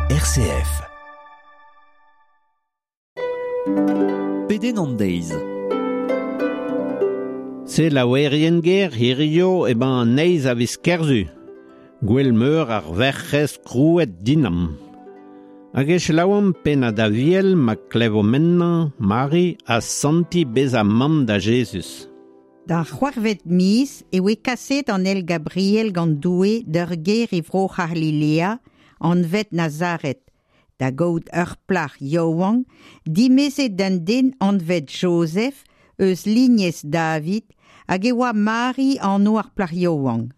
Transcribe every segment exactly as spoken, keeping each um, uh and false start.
R C F. Pedenn an deiz. Se laouerien ger hirio emañ an eizh a viz Kerzu. Gwell meur ar verc'hez krouet dinam. Hag e selaouomp pennad aviel ma klevo mennañ Mari ha santi bezañ mamm da Jezuz. D'ar c'hwec'hvet miz e oe kaset an El Gabriel gant Doue d'ur ger e vro C'halilea, anvet Nazaret, da gaout ur plac'h yaouank, dimezet d'un den anvet Joseph eus lignez David, hag e oa Mari anv ar plac'h yaouank.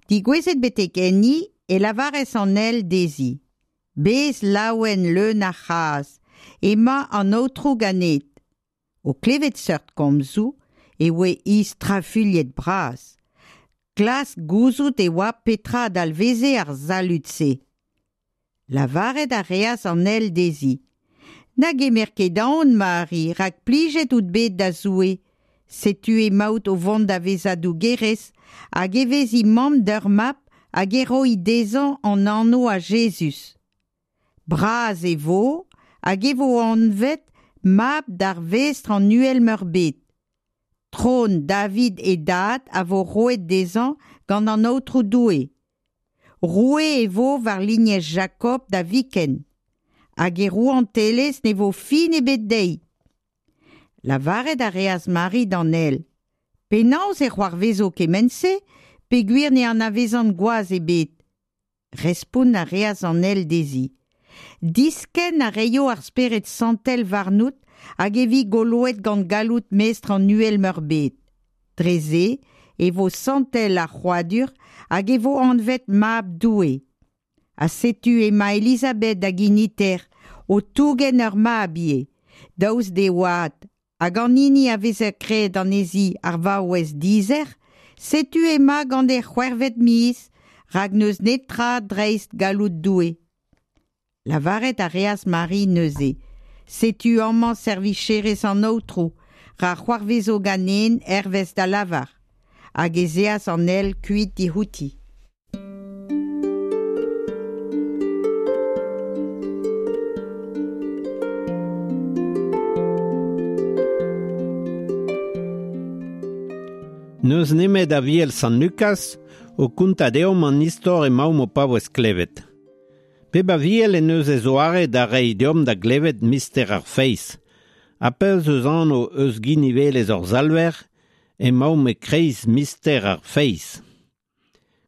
Digouezet betek enni e lavarez an el dezhi. Bez laouen leun ar c'hras, ema an aotrou ganet. O klevet seurt komzoù, e oe istrafuilhet bras. Klask gouzout e oa petra dalveze ar zalud-se. Lavaret a reas an el dezhi. Na gemer ket aon, Mari, rak plijet out bet da Zoue. Setu emaout o vont da vezañ dougerez, hag e vezi mamm d'ur mab hag e roi dezhañ an anv a Jezuz. Bras e vo, hag e vo anvet mab d'ar vestr an uhel meurbet. Tron David e dad a vo roet dezhañ gant an Aotrou Doue. Roue e vo war lignez Jakob da viken, hag e rouantelezh ne vo fin ebet dezhi. Lavaret a reas Mari d'an el. Penaos e c'hoarvezo kement-se, peogwir ne anavezan gwaz ebet. Respont a reas an el dezhi. Diskenn a reio ar spered santel warnout hag e vi goloet gant galloud mestr an uhel meurbet. Dre se e vo santel ar c'hrouadur hag e vo anvet mab Doue. Ha setu ema Elisabeth hag initer o tougen ur mab ivez, daoust d'e oad, hag an hini a veze graet anezhi ar vaouez dizer, setu ema gant e c'hwec'hvet miz, rak n'eus netra dreist galloud Doue. Lavaret a reas Mari neuze. Setu amañ servicherez an aotrou, ra c'hoarvezo ganen hervez da lavar. Hag ez eas an el kuit dic'houti. N'eus nemet aviel Sant Lukaz o kontañ deomp an istor emaomp o paouez klevet. Pep aviel en eus e zoare da reiñ deomp da glevet mister ar feiz. Ha pezh eus anv eus ginivelezh hor Salver, emaomp e-kreiz mister ar feiz.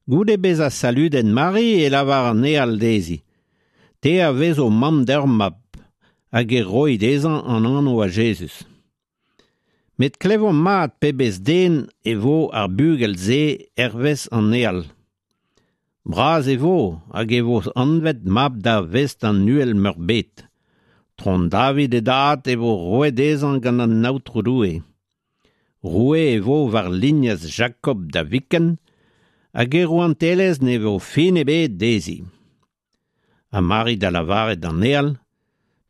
Goude bezañ saludet Mari e lavar an eal dezhi. Te a vezo mamm d'ur mab, hag e roi dezhañ an anv a Jezuz. Met klevomp mat pebezh den e vo ar bugel-se hervez an eal. Bras e vo hag e vo anvet mab da vestr an uhel meurbet. Tron David e dad e vo roet dezhañ gant an Aotrou Doue. Roue e vo war lignez Jakob da viken, hag e rouantelezh ne vo fin ebet dezhi. Ha Mari da lavaret d'an eal,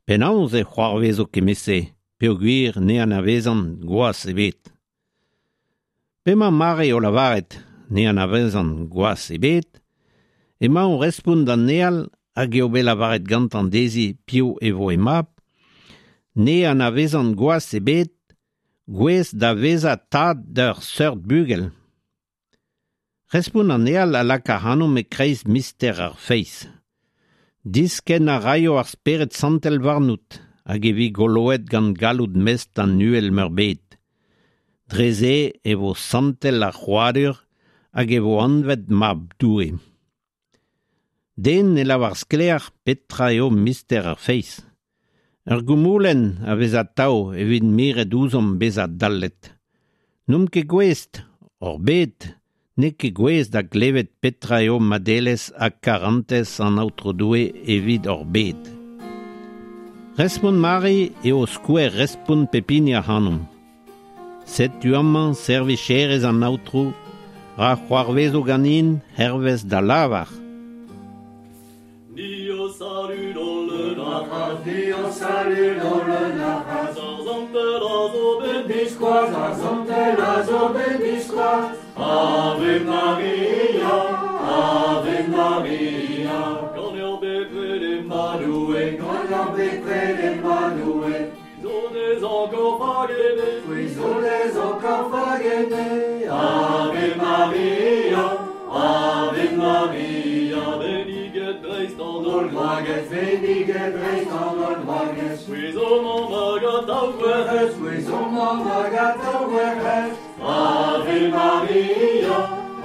penaos e c'hoarvezo kement-se, peogwir ne anavezan gwaz ebet. P'emañ Mari o lavaret ne anavezan gwaz ebet, emañ o respont d'an eal hag eo bet lavaret gantañ dezhi piv e vo e mab, ne anavezan gwaz ebet, gouez da vezañ tad d'ur seurt bugel. Respont an eal a laka ac'hanomp e-kreiz mister ar feiz. Diskenn a raio ar spered santel warnout, hag e vi goloet gant galloud mestr an uhel meurbet. Dre se e vo santel ar c'hrouadur hag e vo anvet mab Doue. Den ne lavar sklaer petra eo mister ar feiz. Ur goumoulenn a vez atav evit miret ouzhomp bezañ dallet. N'omp ket gouest, hor bed, n'eo ket gouest da glevet petra eo madelezh ha karantez an Aotrou Doue evit hor bed. Respont Mari eo skouer respont pep hini ac'hanomp. Setu amañ servicherez an Aotrou, ra c'hoarvezo ganin hervez da lavar. Ni o saludo le nafras, ni o saludo le nafras. Ar zantel a zo bet biskoazh, ar zantel a zo bet biskoazh. ma Doue, Ganeoc'h bepred ema Doue, Zo des encore fagene, C'hwi zo dez encore fagene. Ave Maria, Ave Maria, beniget dreist an holl Holl gwragez. gwragez, benniget dreist an holl gwragez. C'hwi zo mamm hag atav gwerc'hez. C'hwi zo mamm hag atav gwerc'hez. Ave Maria,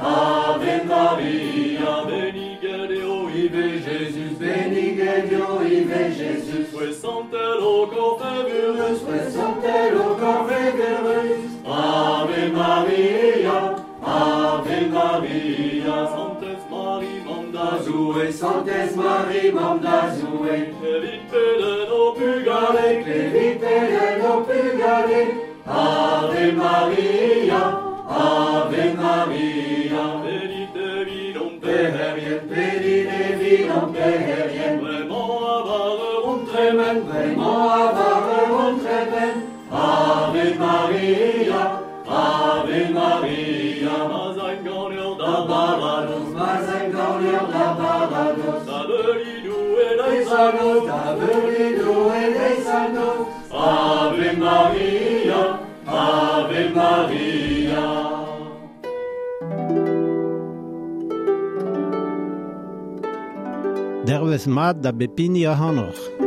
Ave Maria, beniget eo ivez Jezuz, Benniget eo ivez Jezuz. C'hwi santel o korf evurus, C'hwi santel o korf evurus. Ave Maria, Ave Maria, Santez Mari, mamm da Zoue, Zoue, Santez Mari, mamm da Zoue. Evit pedenn ho pugale, Klevit pedenn ho pugale. Ave Maria, Ave Maria, pedit evidomp Peherien, pedit evidomp peherien. Bremañ a war eur hon tremen, Bremañ a war eur hon tremen. Ave Maria, Ave Maria, ma'z aimp ganeoc'h da baradoz, Ma'z aimp ganeoc'h da baradoz. Da veuli Doue deiz Deiz ha ha noz, noz. da veuli Doue deiz ha noz. Ave Maria, Ave Maria. Dervez mat da bep hini ac'hanoc'h.